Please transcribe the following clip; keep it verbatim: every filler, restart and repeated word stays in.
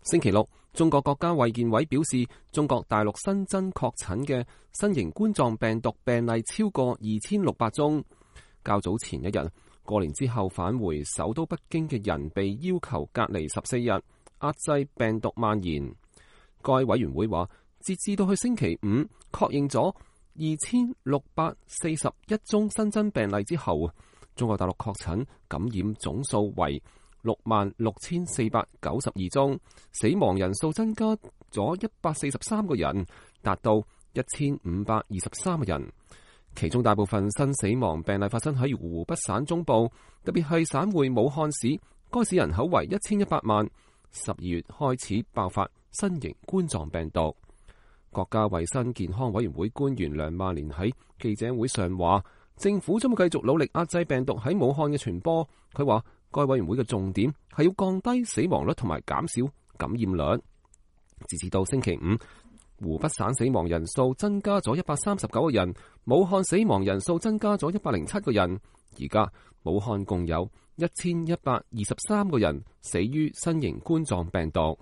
星期六，中國國家衛健委表示，中國大陸新增確診嘅新型冠狀病毒病例超過二千六百宗。較早前一日，過年之後返回首都北京嘅人被要求隔離十四日，壓制病毒蔓延。該委員會話，截至到去星期五，確認咗二千六百四十一宗新增病例之後，中國大陸確診感染總數為六萬六千四百九十二宗，死亡人數增加咗一百四十三個人，達到一千五百二十三個人。其中大部分新死亡病例發生喺湖北省中部，特別係省會武漢市，該市人口為一千一百萬。十二月開始爆發新型冠狀病毒。國家衛生健康委員會官員梁萬年喺記者會上話，政府將會繼續努力壓制病毒喺武漢嘅傳播。佢話，該委員會嘅重點係要降低死亡率同埋減少感染率。截至到星期五，湖北省死亡人數增加咗一百三十九個人，武漢死亡人數增加咗一百零七個人。而家武漢共有一千一百二十三個人死於新型冠狀病毒。